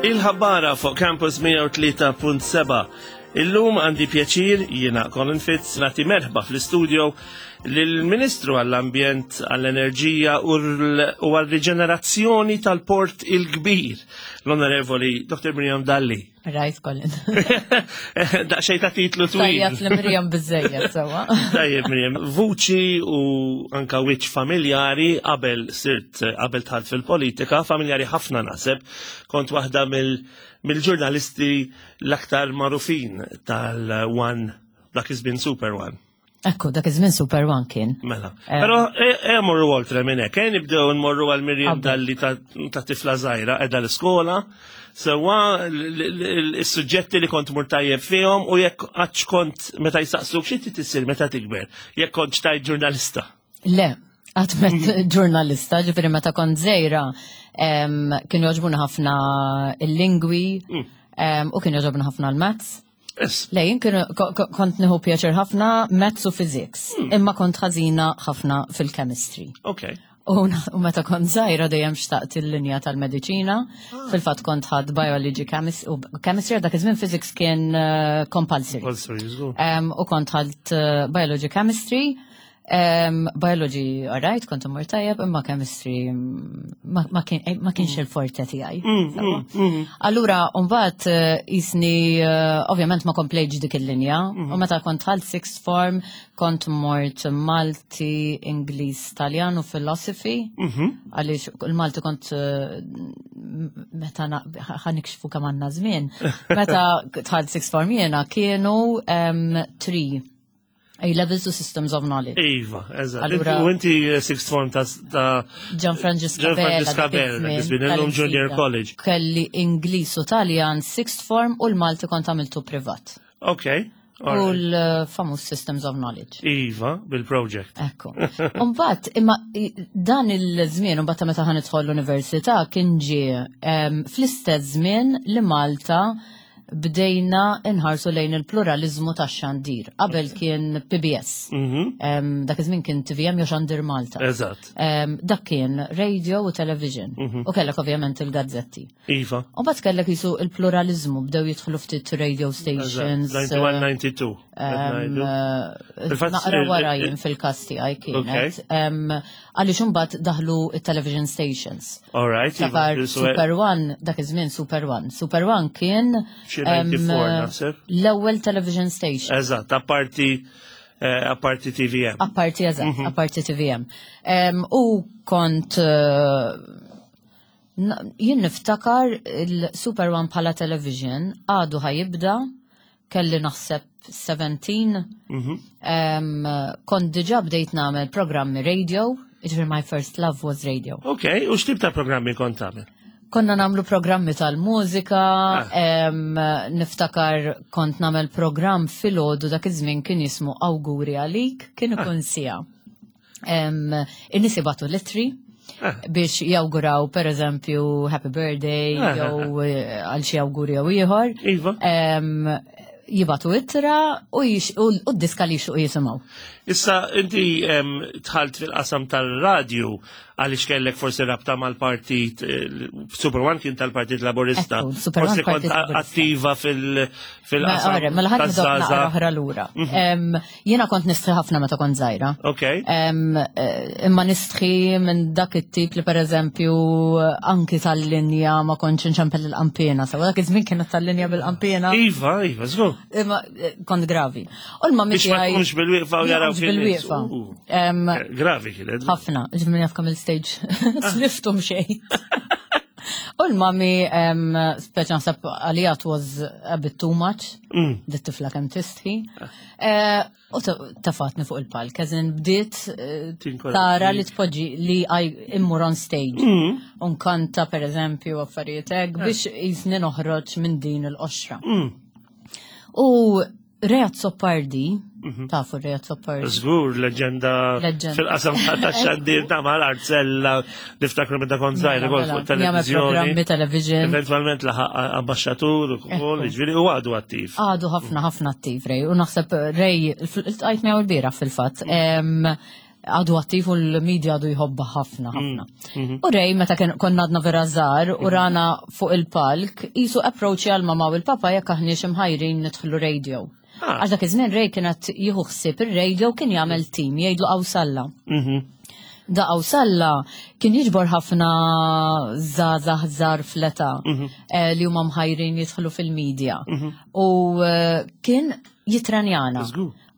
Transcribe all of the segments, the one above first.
Il-ħabbara fuq Campus 103.7. Illum għandi pjaċir jiena Colin Fitz nagħti merħba fl-istudio lill-Ministru għall-Ambjent, għall-Enerġija u għall-Riġenerazzjoni tal-Port il-Kbir, l-Onorevoli Dr. Miriam Dalli. Rajt Colin. Daqxej ta' titlu twil. Tajjeb li Miriam bizzejjed sewa. Tajjeb Miriam, vuċi u anka wiċċ familjari qabel sirt qabel tħalt fil-politika, familjari ħafna naħseb, kont waħda mill-ġurnalisti l-aktar magħrufin tal-One dak iż-żmien Super One. Ekku, dak iż-żmien Super One kien. Mela. Eh. Però e, e morru oltre minn hekk, e nibdew nmorru għal Miriam Dalli ta' tifla żgħira qiegħda l-iskola, sewwa is-suġġetti li kont mur tajjeb fihom u jekk qattx kont meta jistaqsuk xi trid meta tikber, jekk kont xtajt ġurnalista. Le, għatmet ġurnalista, ġifieri meta kont żgħira kienu jogħġbuni ħafna il-lingwi mm. u kienu jogħġobni ħafna l-maths. Le, jien kont nieħu pjaċir ħafna maths u physics, hmm. imma kont ħażina ħafna fil-chemistry. Ok. U meta kont żgħira dejjem xtaqt il-linja tal-mediċina, ah. fil-fatt kont ħadd biology u chemistry dak iż-żmien physics kien eh, compulsory. U kont ħadd eh, biology chemistry Um, biology, alright, kont immur tajjeb, imma chemistry mm, ma, ma, kien, eh, ma kienx mm. il-forte tiegħi. Mm, mm, Allura, mbagħad eh, jisni, eh, ovvjament ma komplejġ dik il-linja, u meta kont ħalt sixth form, kont mort Malti, Ingliż, Taljan u philosophy, mm-hmm. għaliex il-Malti kont meta ħanikxfu kemm għandna żmien, meta tħalt sixth form jiena kienu um, tri A levels u systems of knowledge. Iva, eżatt. U inti eh, sixth form ta' Gian Francesca Bella, illum Junior College. Kelli Ingliż u Taljan sixth form u l-Malti kont għamiltu privat. Ok. U l-famuż Systems of Knowledge. Iva, bil-project. Ekku. Umbat, imma dan il-żmien, umbat meta ħan idħol l-università, kien ġie fl-istess żmien li Malta bdejna nħarsu lejn il-pluralizmu tax-xandir. Qabel kien PBS. Mhm. Dak iż-żmien kien TVM jew Xandir Malta. Eżatt. Dak kien radio u television. Mhm. U kellek ovvjament il-gazzetti. Iva. U mbagħad kellek jisu il-pluralizmu bdew jidħlu ftit radio stations. 91-92. Eh, naqra wara jien fil-każ tiegħi kienet. Għaliex imbagħad daħlu it-television stations. All right. Iva, Super One, dak iż-żmien Super One. Super One kien l-ewwel television station. Eżatt, apparti eh, apparti TVM. Apparti, eżatt, mhm. apparti TVM. U kont eh, jien niftakar il-Super One bħala television għadu ħajibda kelli naħseb 17, mhm. kont diġa bdejt nagħmel programmi radio, ġifieri my first love was radio. Ok, u x'tip ta' programmi kont tagħmel? Konna namlu programmi tal-mużika, ah. niftakar kont namel program fil-ħodu dak iż-żmien kien jismu Awguri għalik, kien ah. ikun sija. In-nies jibgħatu litri ah. biex jawguraw per eżempju happy birthday ah, ah, jew eh, għal xi awguri jew ieħor. Iva. Jibatu ittra u d-diska li xuq jisimgħu. Issa inti tħalt fil-qasam tal-radju għaliex kellek forsi rabta mal-partit, eh, Super One kien tal-Partit Laburista. Forsi kont attiva fil-qasam. Mela ħadd oħra lura. Mhm. Jiena kont nistħi ħafna meta kont żgħira. Ok. Eh, imma nistħi minn dak it-tip li pereżempju anki tal-linja ma kontx inċempel il-qampina. Sewa dak iż-żmien kienet tal-linja bil-qampina. Iva, iva, żgur. Imma eh, kont gravi. U l-mammi Biex ma tkunx bil-wieqfa u jaraw bil-wieqfa. Eh, gravi kienet. Ħafna, ġifmi naf kemm il-stage. Sliftum xejn. U l-mami, speċa naħseb għalija was a bit too much, mm. dit tifla kemm tistħi. Eh, u tafatni fuq il-palk, eżin bdiet eh, tara li tpoġġi li immur on stage. Mm. Unkanta per eżempju affarijiet hekk eh. biex jizni noħroġ minn din il-qoxra. Mm. U Reat Soppardi, mhm. tafu Reat Soppardi. Żgur, leġenda fil-qasam ta' xandir ta' mal arzella niftakru meta kont żgħir ukoll mela, fuq televizjoni. Programmi television. Eventwalment laħaq ambasċatur ukoll, jiġifieri u għadu attiv. Għadu ħafna ħafna attiv Rej, u naħseb Rej, iltqajt miegħu l-bieraħ fil-fatt. Għadu attiv u l-media għadu jħobba ħafna, ħafna. U Ray, meta konna għadna vera żgħar u rana fuq il-palk, jisu approach għal mama u l-papa jekk aħniex imħajrin nidħlu radio. Għax dak iż-żmien Ray kienet jieħu ħsieb ir-radio kien jagħmel team jgħidlu Qawsalla. Da Qawsalla kien jiġbor ħafna żgħażagħ żgħar fl-età li huma mħajrin jidħlu fil-media. U kien jitranjana.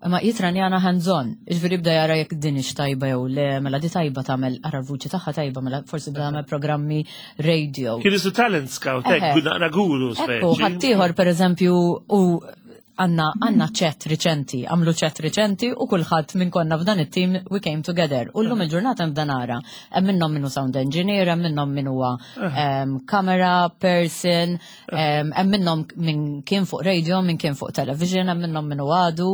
Imma jitranjana hands-on, ġifieri bda jara jekk din hix tajba jew le, mela di tajba tagħmel ara l-vuċi tagħha tajba, mela forsi bda tagħmel programmi radio. Kien isu talent scout, hekk, naqra guru Ekku, ħaddieħor pereżempju u għanna chat riċenti, għamlu chat riċenti u kulħadd minn konna f'dan it-team we came together. U llum il-ġurnata nibda nara, hemm minnhom minnu sound engineer, hemm minnhom min huwa camera person, hemm minnhom min kien fuq radio, min kien fuq television, hemm minnhom minnu għadu.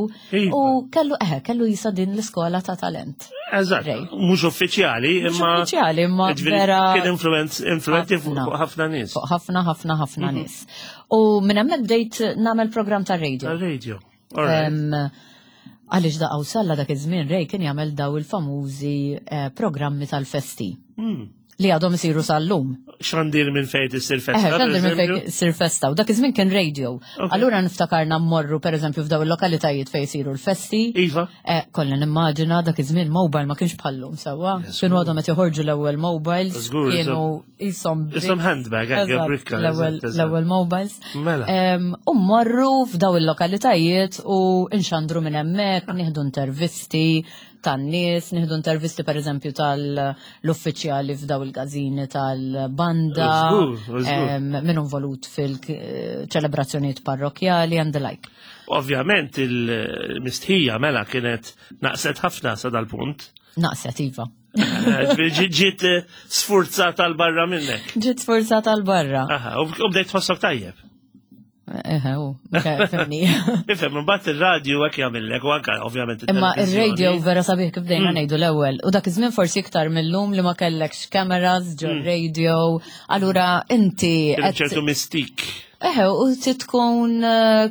U kellu eħe, kellu jisa din l-iskola ta' talent. Eżatt, mhux uffiċjali, Mhux imma uffiċjali, imma Ġifieri vera kien influenti ħafna. fuq ħafna nies. Fuq ħafna, ħafna, ħafna nies. U minn hemmhekk bdejt nagħmel programm ta' radio. Ta' radio. All right. Għaliex da Qawsalla dak iż-żmien Ray kien jagħmel daw il-famużi programmi tal-festi. Li għadhom isiru sal-lum. Xandir minn fejn issir festa, Eħe, xandir minn fejn per issir festa. U dak iż-żmien kien radio. Ok. Allura niftakarna mmorru pereżempju f'daw il-lokalitajiet fejn isiru l-festi. Iva. Kollha nimmaġina dak iż-żmien mobile ma kienx bħallum sewwa. Yes, Kienu żgur. għadhom qed joħorġu l-ewwel mobiles. Żgur, Kienu isom Isom handbag, hekk, Eżatt, bricka, eżatt, eżatt. l-ewwel mobiles. Mela. U mmorru f'daw il-lokalitajiet u nxandru minn hemmhekk, nieħdu intervisti tan-nies, nieħdu intervisti pereżempju tal-uffiċjali f'daw il-każini tal-banda, Żgur, żgur. min involut fil-ċelebrazzjonijiet parrokjali and the like. Ovvjament il-mistħija mela kienet naqset ħafna sa dal-punt. Naqset, iva. Ġiet sfurzata l barra minnek. Ġiet sfurzata l barra. Aha, u bdejt tħossok tajjeb. Eħe, u, ok, fimni. Ifhem, imbagħad ir-radio hekk jagħmillek u anke ovvjament Imma it-televiżjoni. ir-radio vera sabiħ kif bdejna ngħidu l-ewwel. U dak iż-żmien forsi iktar mill-lum li ma kellekx cameras ġo radio. Allura inti Kien qed ċertu mistik. Eħe, u ti tkun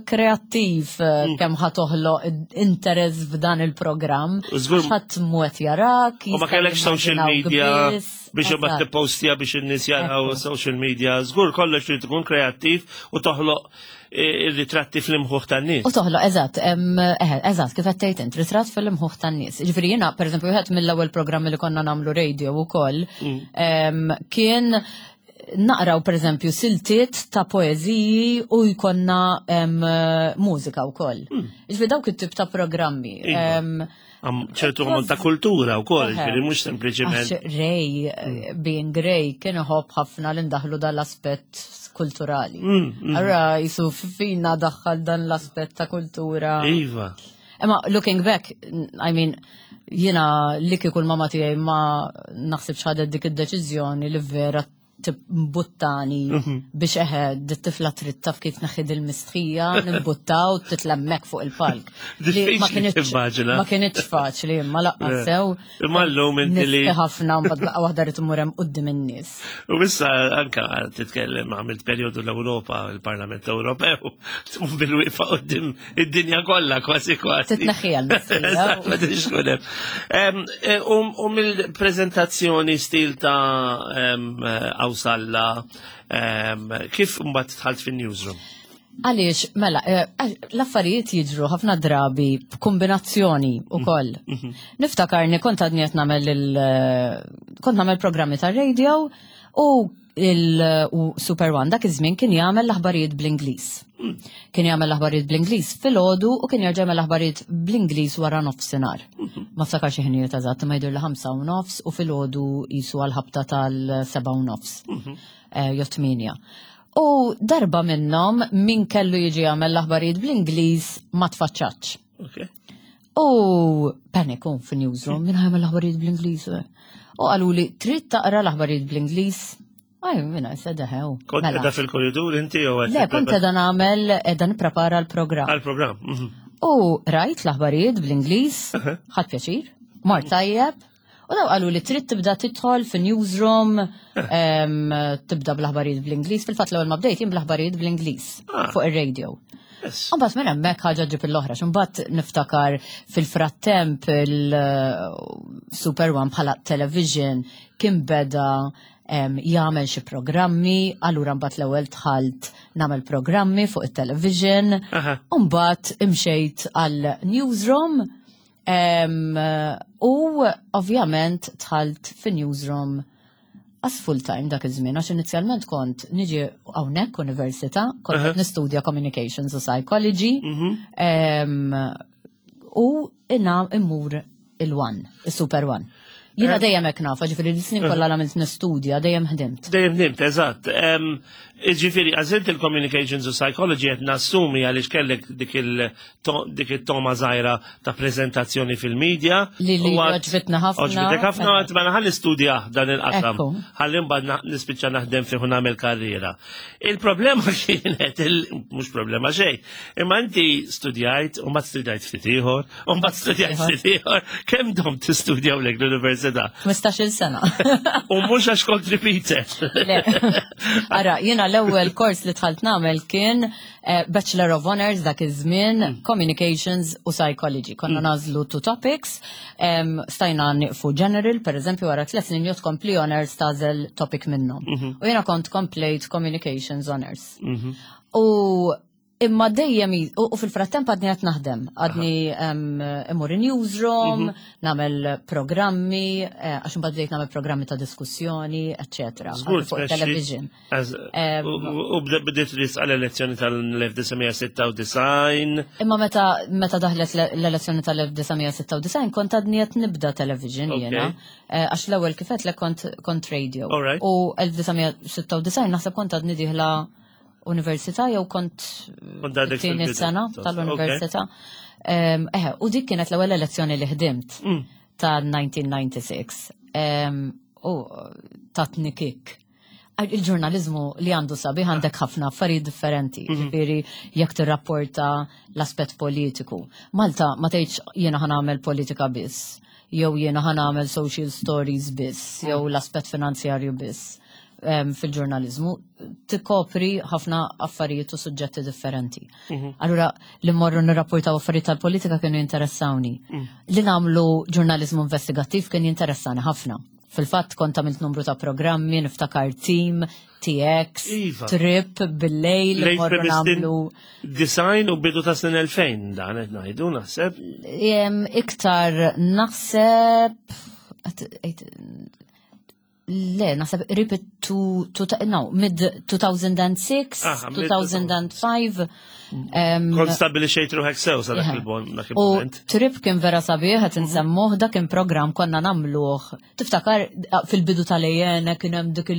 kreattiv kemm ħa toħloq interess f'dan il-programm. U żgur- Għax ħadd mhu qed jarak, U ma jista' kellekx social jimmaġinaw media biss. biex imbagħad Eżatt. tippostja biex in-nies jaraw Ekku. social media. Żgur kollox trid tkun kreattiv u toħloq ir-ritratti fl-imħuħ tan-nies. U toħloq, eżatt, eħe, eżatt, kif qed tgħid int, ritratt fil-imħuħ tan-nies. Ġifieri jiena, pereżempju, wieħed mill-ewwel programmi li konna nagħmlu radio wkoll, kien naqraw pereżempju siltiet ta' poeżiji u jkollna mużika wkoll. Ġifieri dawk it-tip ta' programmi. Iva. Ċertu ammont ta' kultura wkoll, Eħe. ġifieri mhux sempliċiment. Għax Ray, being Ray, kien iħobb ħafna li ndaħlu dal-aspett kulturali. Allura jisu fina daħħal dan l-aspett ta' kultura. Iva. Imma looking back, I mean, jiena li kieku l-mama tiegħi ma naħsibx ħadet dik id-deċiżjoni li vera timbuttani biex eħe, dit-tifla trid taf kif naħid il-mistħija, nimbuttaw, titlemmek fuq il-palk. Li ma Diffiċli kinitx timmaġina. ma kinitx faċli, imma laqqas sew. Imma llum inti li Nistħi ħafna, mbagħad laqgħa waħda rrid immur hemm quddiem in-nies. U issa anka titkellem għamilt perjodu l-Ewropa, il-Parlament Ewropew, tkun bil-wieqfa quddiem id-dinja kollha kważi kważi. Titneħħiha l-mistħija. Eżatt, ma tridx tkun hemm. U mill-preżentazzjoni stil ta' Qawsalla, kif mbagħad dħalt fin-newsroom? Għaliex, mela, l-affarijiet jiġru ħafna drabi b'kombinazzjoni u koll. Niftakarni kont għadni qed nagħmel kont nagħmel programmi tar-radio u il u Super One dak iż-żmien kien jagħmel l-aħbarijiet bl-Ingliż. Kien jagħmel l-aħbarijiet bl-Ingliż filgħodu u kien jerġa' jagħmel l-aħbarijiet bl-Ingliż wara nofsinhar. Ma ftakarx ħinijiet eżatt, imma jidher li 5:30 u filgħodu jisu għal-ħabta tal-7:30. Jew 8. U darba minnhom min kellu jiġi jagħmel l-aħbarijiet bl-Ingliż ma tfaċċax. U paniku fin-newsroom, min ħa jagħmel l-aħbarijiet bl-Ingliż? U qalu li trid taqra l-aħbarijiet bl-Ingliż. Aj, minna, sedaħew. Kont Mela. qiegħda fil-korridur inti jew qed Le, kont qiegħda nagħmel, qiegħda nipprepara l-programm. Għal-programm. U rajt l-aħbarijiet bl-Ingliż, ħadt pjaċir, mar tajjeb. U daw qalu li trid tibda tidħol fi newsroom, tibda bl-aħbarijiet bl-Ingliż. Fil-fatt l-ewwel ma bdejt jien bl-aħbarijiet bl-Ingliż fuq ir-radio. Mbagħad minn hemmhekk ħaġa ġib l-oħra, mbagħad niftakar fil-frattemp il-Super One bħala television kien beda jagħmel xi programmi, allura mbagħad l-ewwel dħalt nagħmel programmi fuq it-television, u mbagħad imxejt għal newsroom u ovvjament dħalt fi newsroom as full time dak iż-żmien għax inizjalment kont niġi hawnhekk università, kont qed nistudja communications u psychology. U inna immur il-One, il-Super One. Jiena dejjem hekk nafa, ġifieri l-snin kollha għamilt nistudja, dejjem ħdimt. Dejjem ħdimt, eżatt. Ġifieri, għażilt il-communications u psychology qed nassumi għaliex kellek dik it-toma żgħira ta' preżentazzjoni fil-medja. Li għoġbitna ħafna. Għoġbitek ħafna, għat ma ħalli studja dan il-qasam. Ħalli mbagħad nispiċċa naħdem fih u nagħmel karriera. Il-problema kienet, mhux problema xejn, imma inti studjajt u ma studjajt ftit ieħor, u mbagħad studjajt ftit ieħor, kemm dom tistudjaw lek l-università? 15-il sena. U mhux għax kont repeated. Le. Ara, jiena l-ewwel kors li dħalt nagħmel kien Bachelor of Honors dak iż-żmien, Communications u Psychology. Konna nagħżlu two topics, stajna nieqfu general, per eżempju, wara 3 snin jew tkompli honors tagħżel topic minnhom. U jiena kont komplejt Communications Honors. U imma dejjem u fil-frattemp għadni qed naħdem, għadni immur in newsroom, nagħmel programmi, għax imbagħad bdejt nagħmel programmi ta' diskussjoni, eċċetera. Żgur, Fuq tmexxi. television. U bdiet risqa l-elezzjoni tal-1996. Imma meta daħlet l-elezzjoni tal-1996 kont għadni qed nibda television jiena. Għax l-ewwel kif għedtlek kont radio. U 1996 naħseb kont għadni dieħla università jew kont Kont għadek it-tieni fil-bidu. sena tal-università. U dik kienet l-ewwel elezzjoni li ħdimt ta' 1996. U tatni kick. Il-ġurnalizmu li għandu sabiħ għandek ħafna affarijiet differenti, ġifieri jekk tirrapporta l-aspett politiku. Malta ma tgħidx jiena ħa nagħmel politika biss, jew jiena ħa nagħmel social stories biss, jew l-aspett finanzjarju biss. Fil-ġurnalizmu tikkopri ħafna affarijiet u suġġetti differenti. Allura li mmorru nirrapportaw affarijiet tal-politika kienu jinteressawni. Li nagħmlu ġurnalizmu investigattiv kien jinteressani ħafna. Fil-fatt kont għamilt numru ta' programmi, niftakar Team, TX, Trip, bil-lejl, Lejl morru Premistin nagħmlu Design u bidu ta' snin 2000 dan qed ngħidu naħseb. Iktar naħseb le, naħseb qrib it- two, two, no, mid 2006, Aha, mid 2005. Kont stabbilixxejt ruħek sew sa dak dak U il-moment. Trip kien vera sabiħ, qed insemmuh, dak kien programm konna nagħmluh. Tiftakar fil-bidu tal-EN kien hemm dik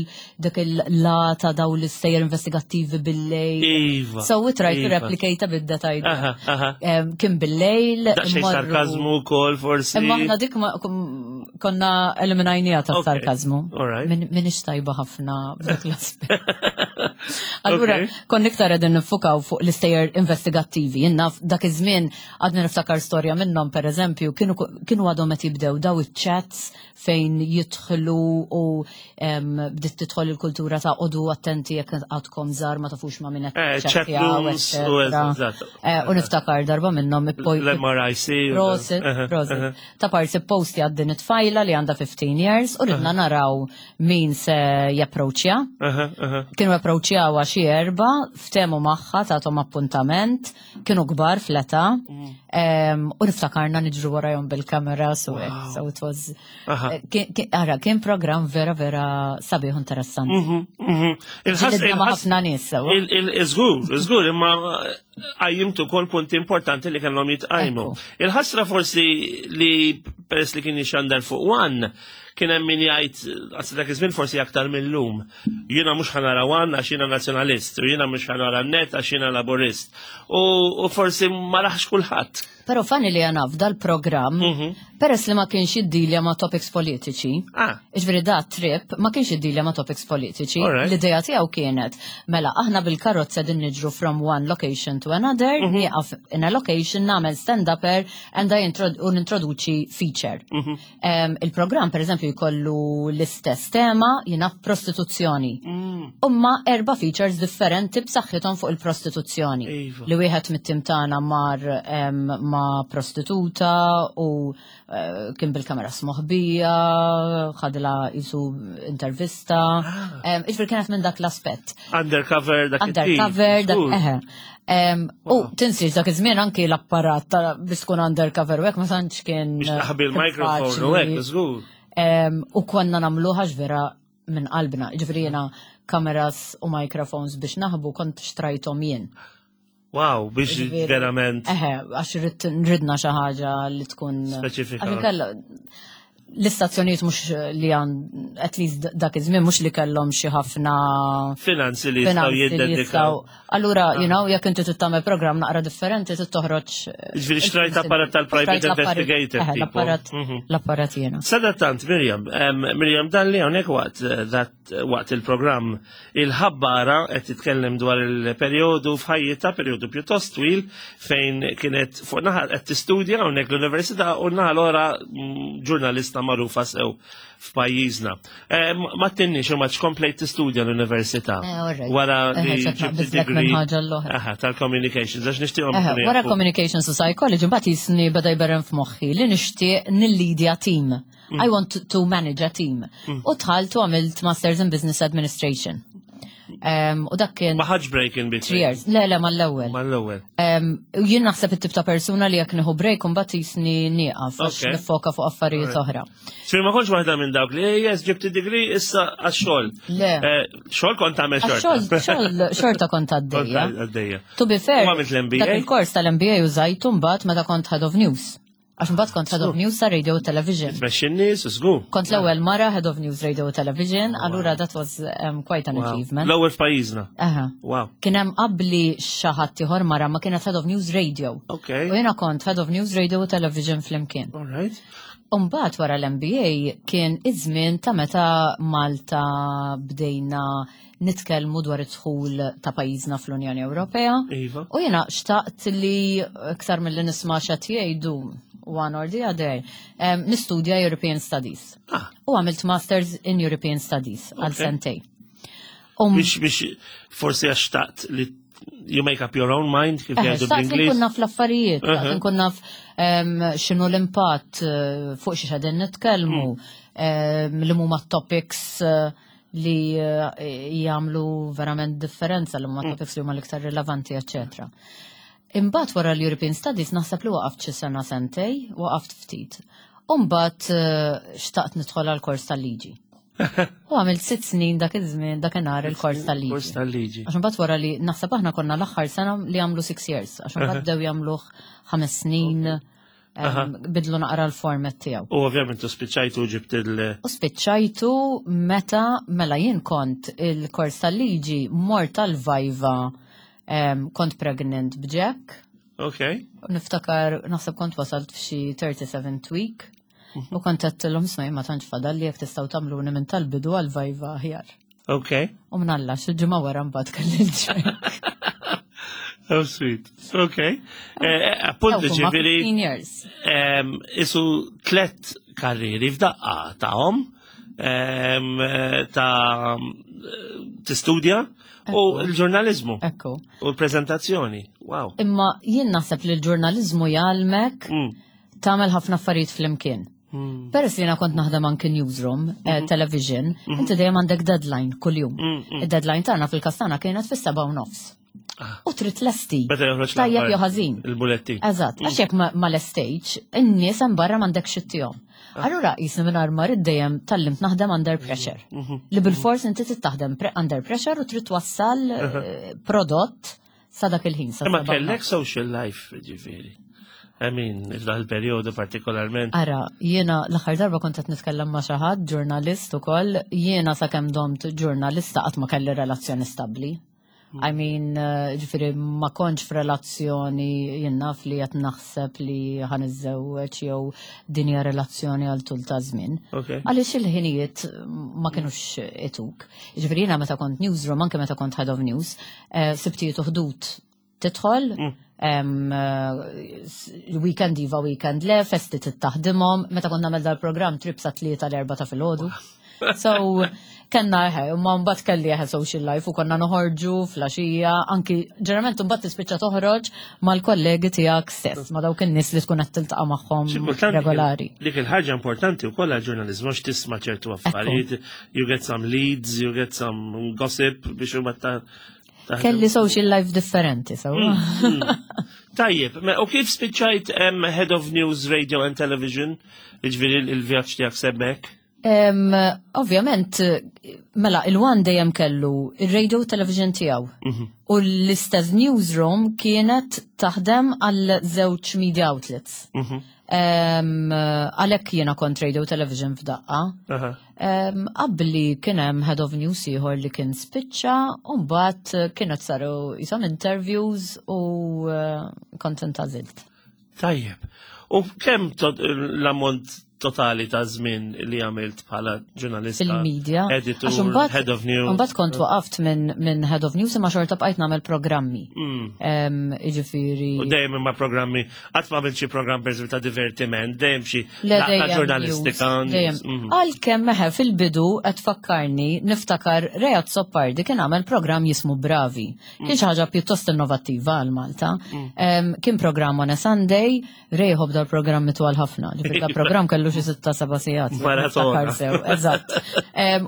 il-lata daw l-istejjer investigattivi bil-lejl. So we try to replicate a bit that idea. Kien bil-lejl, Daqsxejn immorru sarkazmu wkoll forsi. Imma aħna dik konna eliminajnija ta' sarkazmu. Minix tajba ħafna b'dak l-aspett. Allura, konna iktar qegħdin nifukaw fuq l-istejjer investigattivi. Jiena dak iż-żmien għadni niftakar storja minnhom, per eżempju, kienu għadhom qed jibdew daw iċ-chats fejn jidħlu u bdiet tidħol il-kultura ta' oqogħdu attenti jekk għadkom żgħar ma tafux ma' min qed Chat tiċċettjaw, rooms u eċċetera. eżatt. U niftakar darba minnhom L-MRIC u Prosit, prosit. Ta' parsi posti għad din it-tfajla li għandha 15 years u ridna naraw min se japproċċja. Kienu approċċjawha xi erba, ftehmu magħha, tagħthom appuntament, kienu kbar fl-età. U niftakarna niġru warajhom bil-kamera, so so it was, ara, kien program vera vera sabiħ u interessanti. Ġilidna ma' ħafna nies, sewa. Żgur, żgur, imma qajjimtu kol punti importanti li kellhom jitqajmu. Il-ħasra forsi li peress li kien jixandar fuq One, kien hemm min jgħid għas dak iż-żmien forsi aktar mill-lum. Jiena mhux ħa nara One għax jiena nazzjonalist, u jiena mhux ħa nara Net għax jiena laburist. U forsi ma raħx kulħadd. Però funny li għana f'dal-programm, peress li ma kienx jiddilja ma' topics politiċi, ġifieri da Trip ma kienx jiddilja ma' topics politiċi, l-ideja tiegħu kienet, mela aħna bil-karozza din niġru from one location to another, nieqaf in a location, nagħmel stand-upper and I u nintroduċi feature. Il-programm, per eżempju, pereżempju jkollu l-istess tema, jiena prostituzzjoni. Umma erba' features differenti b'saħħithom fuq il-prostituzzjoni. Iva. Li wieħed mit-tim tagħna mar ma' prostituta u eh, kien bil-kamera smoħbija, ħadla jisu intervista. Ah. Iġifieri kienet minn dak l-aspett. Undercover dak Undercover dak eħe. U tinsiex dak iż-żmien anki l-apparat ta' biex tkun undercover u hekk ma tantx kien. Biex taħbi l-mikrofon u hekk żgur. U konna nagħmluha vera minn qalbna. Ġifieri jiena kameras u microphones biex naħbu kont xtrajthom jien. Wow, biex verament. Eħe, għax ridna xi ħaġa li tkun. Speċifika. L-istazzjonijiet mhux li għan, at least dak iż-żmien mhux li kellhom xi ħafna finanzi li jistgħu jiddedikaw. Allura, ah. you know, jekk inti tagħmel programm naqra differenti trid toħroġ. Eh, Ġifieri xtrajt apparat tal-private investigator. Eh, l-apparat mhm. l-apparat jiena. Sadattant Mirjam, Mirjam dan li hawnhekk waqt eh, waqt il-programm il-ħabbara qed titkellem dwar il-perjodu f'ħajjitha, perjodu pjuttost twil fejn kienet fuq naħa qed tistudja hawnhekk l-università u naħa l-ora mm, ġurnalista magħrufa sew f'pajjiżna. Eh, ma tinnix u ma komplejt tistudja l-università. Eh, wara eh, li ġibt degree tal-communications, għax nixtieqhom. Wara communications u psychology, mbagħad jisni beda jberren f'moħħi li nixtieq nillidja team. Mm. I want to manage a team. Mm. U tħalt u għamilt Masters in Business Administration. Um, u dak kien. Ma ħadx break in between. Three years. Le, le, mal-ewwel. Mal-ewwel. Um, jien naħseb it-tip ta' persuna li jekk nieħu break mbagħad jisni nieqaf għax nifoka fuq affarijiet oħra. Sir ma kontx waħda minn dawk li yes ġibt id-degree issa għax-xogħol. Le. Eh, xogħol kont tagħmel xorta. Xogħol xorta kont għaddejja. Għaddejja. To be fair. Għamilt l-MBA. Dak il-kors tal-MBA użajtu mbagħad meta kont head of news. Għax mbagħad kont Head of News ta' Radio Television. Tmexxi n-nies, żgur. Kont l-ewwel mara Head of News Radio Television, allura that was um, quite an achievement. L-ewwel f'pajjiżna. Aha. Wow. Kien hemm qabli xi ħadd ieħor mara ma kienet Head of News Radio. Okay. U jiena kont Head of News Radio Television flimkien. All right. Umbagħad wara l-MBA kien iż-żmien ta' meta Malta bdejna nitkellmu dwar id-dħul ta' pajjiżna fl-Unjoni Ewropea. Iva. U jiena xtaqt li iktar milli nisma' x'qed jgħidu one or the other, nistudja European Studies. Ah. U għamilt Masters in European Studies għal sentej. Um, biex biex forsi għax xtaqt li you make up your own mind kif jgħidu bl-Ingliż. Nkun naf l-affarijiet, nkun naf x'inhu l-impatt eh, fuq xi qegħdin nitkellmu, mm. li huma topics eh, li eh, jagħmlu verament differenza li huma mm. topics li huma l-iktar rilevanti, eċċetera. Imbagħad wara l-European Studies naħseb li waqaft xi sena sentej, waqaft ftit. Imbagħad eh, xtaqt nidħol għal kors tal-liġi. U għamilt sitt snin dak iż-żmien dakinhar il-kors tal-liġi. Kors tal-liġi. Għax imbagħad wara li naħseb aħna konna l-aħħar sena li għamlu six years, għax imbagħad bdew jagħmluh ħames snin. Bidlu naqra l-format tiegħu. U ovvjament u spiċċajtu ġibt il- U spiċċajtu meta mela jien kont il-kors tal-liġi mort tal-vajva kont pregnant b'Jack. Ok. Niftakar naħseb kont wasalt f'xi 37th week. Mhm. U kont għedtilhom smaj ma tantx fadal li jekk tistgħu tagħmluni minn tal-bidu għal vajva aħjar. Ok. U mnalla, xi ġimgħa wara mbagħad kelli l-ġek. Oh, sweet. Ok. Eh, eh, appunto ġifieri. Isu tlet karrieri f'daqqa ta'hom eh, ta' tistudja u l-ġurnalizmu. Ekku. U l-prezentazzjoni. Wow. Imma jien naħseb li l-ġurnalizmu jgħalmek mm. tagħmel ħafna affarijiet flimkien. Hmm. Peress li jiena kont naħdem anki newsroom, eh, mhm. television, mhm. inti dejjem għandek deadline kuljum. Mm, Id-deadline tagħna fil-każ tagħna kienet fis-7:30. Ah. U trid lesti. Tajjeb jew ħażin. Il-buletti. Eżatt, għax jekk ma lestejx, in-nies hemm barra m'għandek xittihom. Ah. Allura jisni minn armar id-dejjem tallimt naħdem under pressure. Mhm. Li bil-fors inti trid taħdem under pressure u trid twassal eh, prodott sa dak il-ħin. Ma kellek social life, ġifieri. I mean, f'dan il-perjodu partikolarment. Ara, jiena l-aħħar darba kont qed nitkellem ma' xi ħadd ġurnalist ukoll, jiena sakemm domt ġurnalista qatt ma kelli relazzjoni stabbli. Hmm. I mean, eh, ġifieri ma kontx f'relazzjoni jien naf li qed naħseb li ħan iżżewweġ jew din hija relazzjoni għal tul ta' żmien. Għaliex il-ħinijiet ma kinux ituk. Ġifieri jiena meta kont newsroom, anke meta kont head of news, eh, sibtijiet u ħdud. tidħol, weekend iva, weekend le, festi tittaħdimhom, meta konna nagħmel dal-programm trip sa 3 l-4 ta' filgħodu. So, kellna eħe, ma mbagħad kelli eħe social life u konna noħorġu flaxija, anki ġeneralment mbagħad tispiċċa toħroġ mal-kollegi tiegħek stess, ma dawk in-nies li tkun qed tiltaqa' magħhom regolari. Dik il-ħaġa importanti wkoll għall-ġurnaliżmu għax tisma' ċertu affarijiet, you get some leads, you get some gossip biex huma ta' Kelli social life differenti, so. Tajjeb, u kif spiċċajt Head of News Radio and Television, ġifieri il-vjaġġ tiegħek semmek? Ovvjament, mela, il-One dejjem kellu il-radio television tiegħu. U l-istess newsroom kienet taħdem għal żewġ media outlets. Għalhekk jiena kont radio television f'daqqa. Qabli kien hemm head of news ieħor li kien spiċċa u mbagħad kienet saru jisom interviews u kont intażilt. Tajjeb. U kemm l-ammont totali ta' żmien li għamilt bħala ġurnalista? Fil-media. Editor, head of news. Mbagħad kont waqaft minn head of news imma xorta bqajt nagħmel programmi. Jiġifieri. U dejjem imma programmi, qatt ma għamilt xi programm pereżempju ta' divertiment, dejjem xi laqgħa ġurnalistika. Għalkemm meħe fil-bidu qed tfakkarni niftakar Ray Azzopardi kien għamel programm jismu Bravi. Kien xi ħaġa pjuttost innovattiva għal Malta. Kien programm on a Sunday, Ray jħobb dal-programmi twal ħafna. Ġifieri dal-programm kellu xi 6-7 sigħat. Maratona. Niftakar sew, eżatt.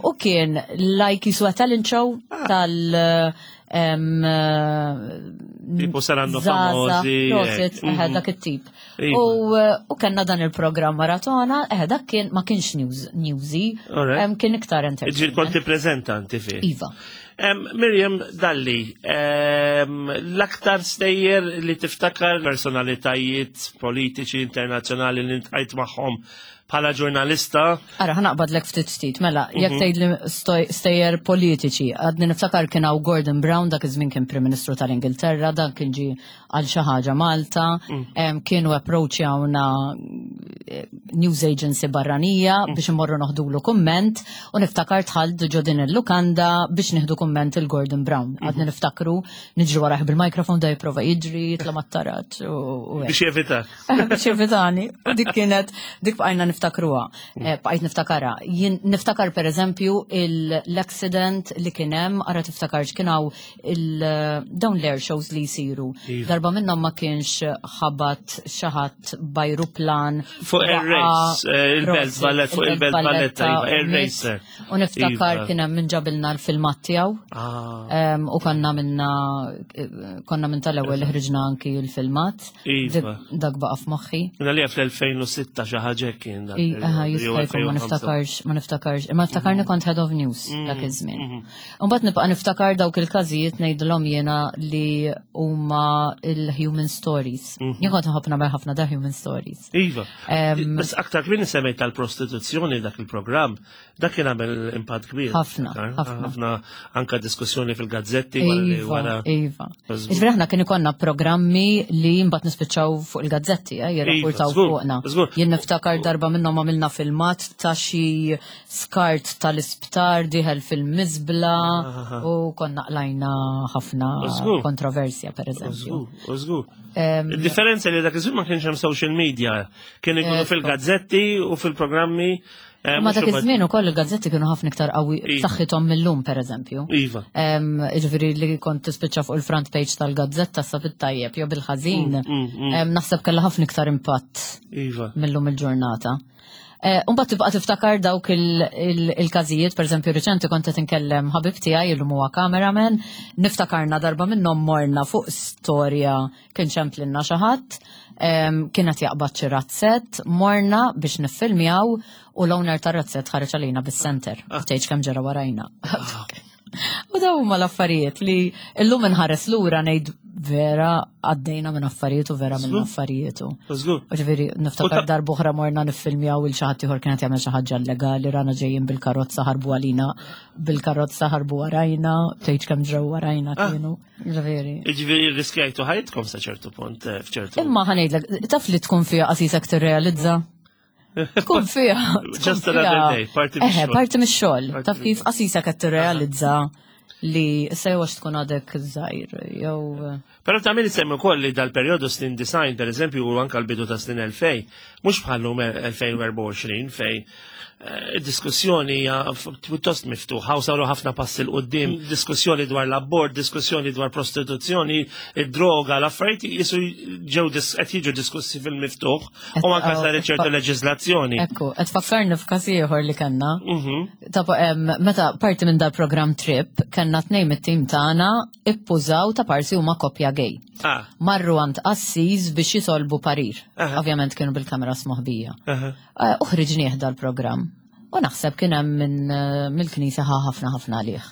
U kien like jiswa talent show tal Tipo saranno Zaza, famosi, prosit, hekk. dak it-tip. U kellna dan il-programm maratona, dak kien ma kienx newsy, kien iktar entertainment. Ġifieri kont tippreżenta inti fih. Iva. Miriam Dalli, l-aktar stejjer li tiftakar personalitajiet politiċi internazzjonali li ntqajt magħhom bħala ġurnalista? Ara, ħanaqbadlek ftit ftit, mela, jekk tgħid li stejjer politiċi, għadni niftakar kien hawn Gordon Brown, dak iż-żmien kien Prim Ministru tal-Ingilterra, dan kien ġie għal xi ħaġa Malta, kienu approachjawna news agency barranija biex imorru noħdulu kumment, u niftakar dħalt ġo din il-lukanda biex nieħdu kumment il-Gordon Brown. Għadni niftakru niġri waraħ bil-mikrofon da jipprova jiġri, jitla' mat-taraġ u hekk. Biex jevita. Biex jevitani. U dik kienet, dik bqajna niftakruha. Bqajt niftakara. Jien niftakar per eżempju l-accident li kien hemm, ara tiftakarx kien hawn dawn l-air shows li jsiru. Darba minnhom ma kienx ħabat xi ħadd b'ajruplan. Fuq Air Waqa' Race, il-Belt Prosit, Valletta, fuq il-Belt il-Belt Valletta, Valletta, iva, Air u miet. Racer. U niftakar kien hemm min ġabilna l-filmat tiegħu. U konna konna minn tal-ewwel li ħriġna anki l-filmat. Dak baqa' f'moħħi. Minna li fl-2006 xi ħaġa kien dak il- Aha, jew jista' jkun ma 2005. niftakarx, ma niftakarx. Imma niftakarni kont head of news dak iż-żmien. U mbagħad nibqa' niftakar dawk il-każijiet ngħidilhom jiena li huma il-human stories. Jien kont nħobb nagħmel ħafna da human stories. Iva. Bas aktar kmieni semmejt tal-prostituzzjoni dak il-programm, dak kien għamel impatt kbir. Ħafna, Aktar, ħafna. ħafna anka diskussjoni fil-gazzetti wara li Iva, wara iva. Żgur. Ġifieri aħna kien ikollna programmi li mbagħad nispiċċaw fuq il-gazzetti, jirrapportaw Iva, żgur, fuqna. żgur. Jien niftakar darba minnhom għamilna filmat ta' xi skart tal-isptar dieħel fil-miżbla u konna qlajna ħafna kontroversja, per eżempju. Żgur, żgur. Il-differenza li dak iż-żmien ma kienx hemm social media, kien ikunu fil-gazzetti u fil-programmi. Ma Mhux dak huma- iż-żmien ukoll il-gazzetti kienu ħafna iktar qawwi b'saħħithom millum, per eżempju. Jiġifieri li kont tispiċċa fuq il-front page tal-gazzetta sa fit-tajjeb jew bil-ħażin, naħseb kellha ħafna iktar impatt millum il-ġurnata. Mbagħad tibqa' tiftakar dawk il-każijiet, per eżempju riċenti kont qed inkellem ħabib tiegħi illum huwa cameraman, niftakarna darba minnhom morna fuq storja kien ċemplinna xi ħadd, kienet jaqbad xi razzett, morna biex niffilmjaw u l-owner tar-razzett ħareġ għalina bis-center. Tgħidx kemm ġara warajna. U daw huma l-affarijiet li llum inħares lura ngħid vera għaddejna minn affarijiet u vera minn affarijiet. Żgur. U ġifieri niftakar darb'oħra morna niffilmjaw il xi ħadd ieħor kienet jagħmel xi ħaġa illegali, rana ġejjin bil-karozza ħarbu għalina, bil-karozza ħarbu warajna, tgħidx kemm ġraw warajna kienu. Ġifieri. Ġifieri riskjajtu ħajtkom sa ċertu punt, f'ċertu. Imma ħa ngħidlek, taf li tkun fiha qasisek tirrealizza? Tkun fiha, tkun Just another fiha. day, parti Eħe, mix-xogħol. parti mix-xogħol. Parti Taf kif mix-xogħol. qasisek qed tirrealizza li issa jew għax tkun għadek żgħir jew. Però ta' min semmi wkoll li dal-perjodu snin design, per eżempju, u anka l-bidu ta' snin 2000, mhux bħallum 2024 fej eh, diskussjoni hija pjuttost miftuħa u saru ħafna passi l qudiem diskussjoni dwar l-abort, diskussjoni dwar prostituzzjoni, id-droga, l-affarijiet jisu ġew qed jiġu diskussi fil-miftuħ u anka saret ċertu leġiżlazzjoni. Ekku, qed fakkarni f'każ ieħor li kellna. Ta' meta parti minn dal-programm Trip kellna tnejn mit-tim tagħna ippużaw ta' parsi huma koppja gay. Ah. Marru għand qassis biex jitolbu parir. Ovvjament kienu bil-kameras moħbija. Eh, uħriġnieh dal-programm. U naħseb kien hemm minn eh, mill-knisja ħa ħafna ħafna għalih.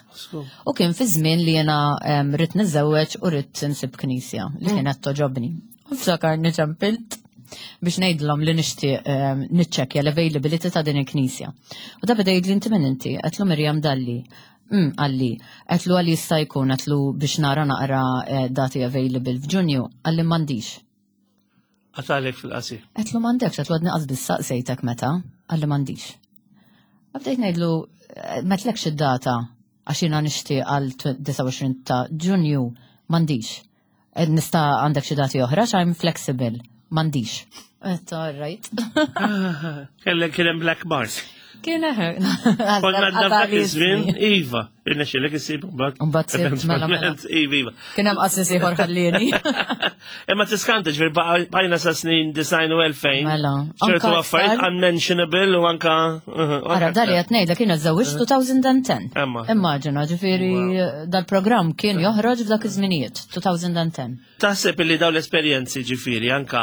U kien fi żmien li jiena rrid niżewweġ u rrid insib knisja li mm. kienet toġobni. U ftakarni ċempilt biex ngħidlhom li nixtieq niċċekkja l-availability ta' din il-knisja. U da beda jgħidli inti minn inti, qedlu Mirjam Dalli. Qalli, għedtlu għal jista' jkun, għedtlu biex nara naqra eh, dati available f'Ġunju, qalli m'għandix. Għatalek fil-qasir. Għedtlu m'għandekx, għedtlu għadni qas biss saqsejtek meta, qalli m'għandix. Bdejt ngħidlu eh, metlekx id-data għax jiena nixtieq għal 29 ta' Ġunju m'għandix. Eh, nista' għandek xi dati oħra, I'm flexible, m'għandix. All right. Kellek kien hemm black mark. Kien eħe. Konna għadna f'dak iż-żmien, iva, irnexxielek issib mbagħad. Mbagħad mela, mela. Iva, iva. Kien hemm qassis ieħor ħallieni. Imma tiskanta ġifier bajna sa snin design u 2000. Mela. Ċertu affarijiet unmentionable u anka. Ara dali qed ngħidlek kien żewġ 2010. Immaġina, ġifieri dal-programm kien joħroġ f'dak iż-żminijiet, 2010. Taħseb li daw l-esperjenzi ġifieri anka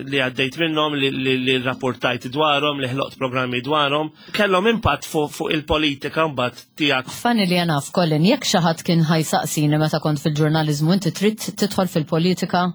li għaddejt minnhom li, li, li rapportajt dwarhom, li ħloqt programmi dwarhom, kellhom impatt fuq fu il-politika mbagħad tiegħek. Funny li naf Colin, jekk xi ħadd kien ħajsaqsini meta kont fil-ġurnaliżmu inti trid tidħol fil-politika,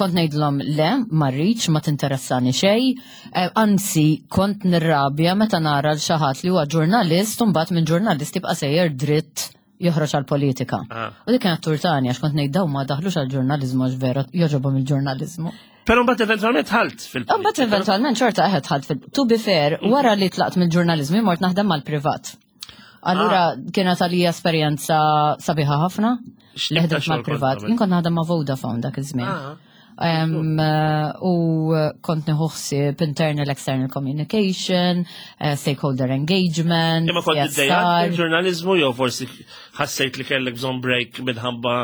kont ngħidlhom le, ma rridx, ma tinteressani xejn. Eh, anzi, kont nirrabja meta nara l xi ħadd li huwa ġurnalist u mbagħad minn ġurnalist jibqa' sejjer dritt joħroġ għal-politika. Ah. U dik kienet turtani għax kont ngħid dawn ma daħlux għal-ġurnaliżmu għax vera joġobhom il-ġurnaliżmu. Però mbagħad eventwalment ħalt fil-politika. Mbagħad eventwalment xorta eħed ħalt fil To be fair, mm. wara li tlaqt mill-ġurnaliżmu mort naħdem mal-privat. Allura ah. kienet għalija esperjenza sabiħa ħafna li ħdimt mal-privat. Jien kont naħdem ma' Vodafone dak iż-żmien. Ah. Eh, u kont nieħu ħsieb internal external communication, eh, stakeholder engagement. Imma kont iddejjaq il-ġurnaliżmu jew forsi ħassejt li kellek bżonn break minħabba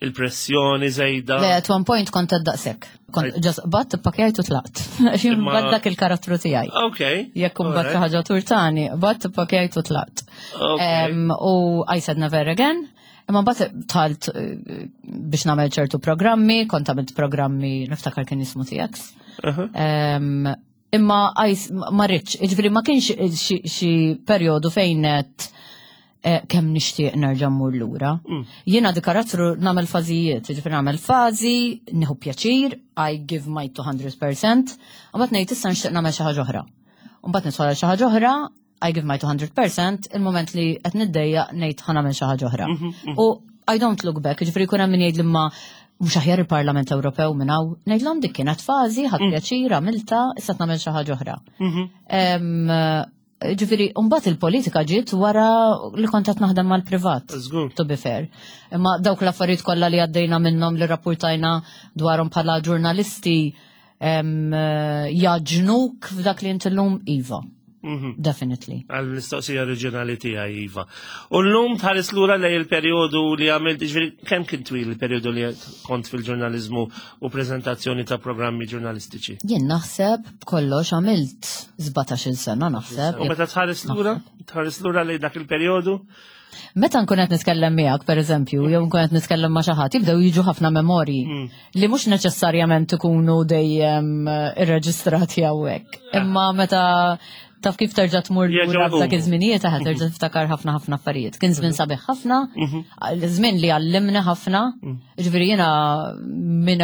il-pressjoni żejda. Le, at one point kont daqshekk. Kont ġas bat pakjajt u tlaqt. Jien bat dak il-karattru tiegħi. Ok. Jekk imbagħad xi ħaġa turtani, bat pakjajt u tlaqt. U I said never again. Imma mbagħad talt eh, biex nagħmel ċertu programmi, kont għamilt programmi niftakar kien jismu TX. Imma ma rridx, jiġifieri ma kienx xi perjodu fejn qed eh, kemm nixtieq nerġa' mmur lura. Jiena di karattru nagħmel fażijiet, jiġifieri nagħmel fażi, nieħu pjaċir, I give my 200%, u mbagħad ngħid issa nixtieq nagħmel xi ħaġa oħra. U mbagħad nidħol għal xi ħaġa oħra, I give my 200%, il-moment li qed niddejjaq ngħid ħa nagħmel xi ħaġa oħra. Mhm, mhm. U I don't look back, ġifieri jkun hemm min jgħid li ma mhux aħjar il-Parlament Ewropew minn hawn, ngħidlhom dik kienet fażi, ħadd mm. pjaċir, għamilta, issa nagħmel xi ħaġa oħra. Mhm. Ġifieri, mbagħad il-politika ġiet wara li kont qed naħdem mal-privat. To be fair. Imma dawk l-affarijiet kollha li għaddejna minnhom li rapportajna dwarhom bħala ġurnalisti jaġnuk f'dak li inti llum iva. Mhm. Definitely. Għal mistoqsija oriġinali tiegħi iva. U llum tħares lura lej il-perjodu li għamilt, ġifieri kemm kien twil il-perjodu li kont fil-ġurnaliżmu u preżentazzjoni ta' programmi ġurnalistiċi? Jien naħseb b'kollox għamilt 17-il sena naħseb. U meta tħares lura, tħares lura lej dak il-perjodu? Meta nkun qed nitkellem miegħek pereżempju, jew nkun qed nitkellem ma' xi ħadd, jibdew jiġu ħafna memorji mm. li mhux neċessarjament ikunu dejjem eh, irreġistrati hawnhekk. Ah. Imma meta taf kif terġa' tmur lura f'dak iż-żminijiet aħna terġa' tiftakar ħafna ħafna affarijiet. Kien żmien mhm. sabiħ ħafna, mhm. żmien li għallimna ħafna. Mm. Ġifieri jiena minn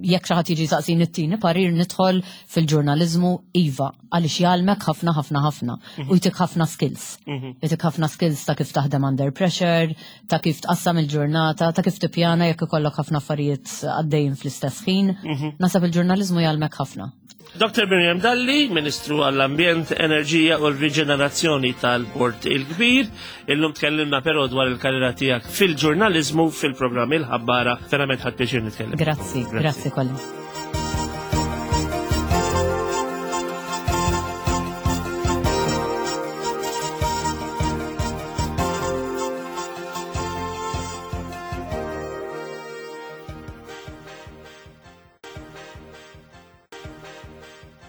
jekk xi ħadd jiġi saqsini t-tieni parir nidħol fil-ġurnaliżmu iva għaliex jgħallmek ħafna ħafna ħafna mhm. u jtik ħafna skills. Mhm. Jtik ħafna skills ta' kif taħdem under pressure, ta' kif tqassam il-ġurnata, ta' kif tippjana jekk ikollok ħafna affarijiet għaddejjin fl-istess ħin. Mhm. Nasab il-ġurnaliżmu jgħallmek ħafna. Dr. Miriam Dalli, Ministru għall-Ambjent, Enerġija u l-Riġenerazzjoni tal-Port il-Kbir. Illum tkellimna però dwar il-karriera tiegħek fil-ġurnaliżmu fil-programm il-ħabbara. Verament ħadd pjaċir nitkellem. Grazzi, grazzi kolli.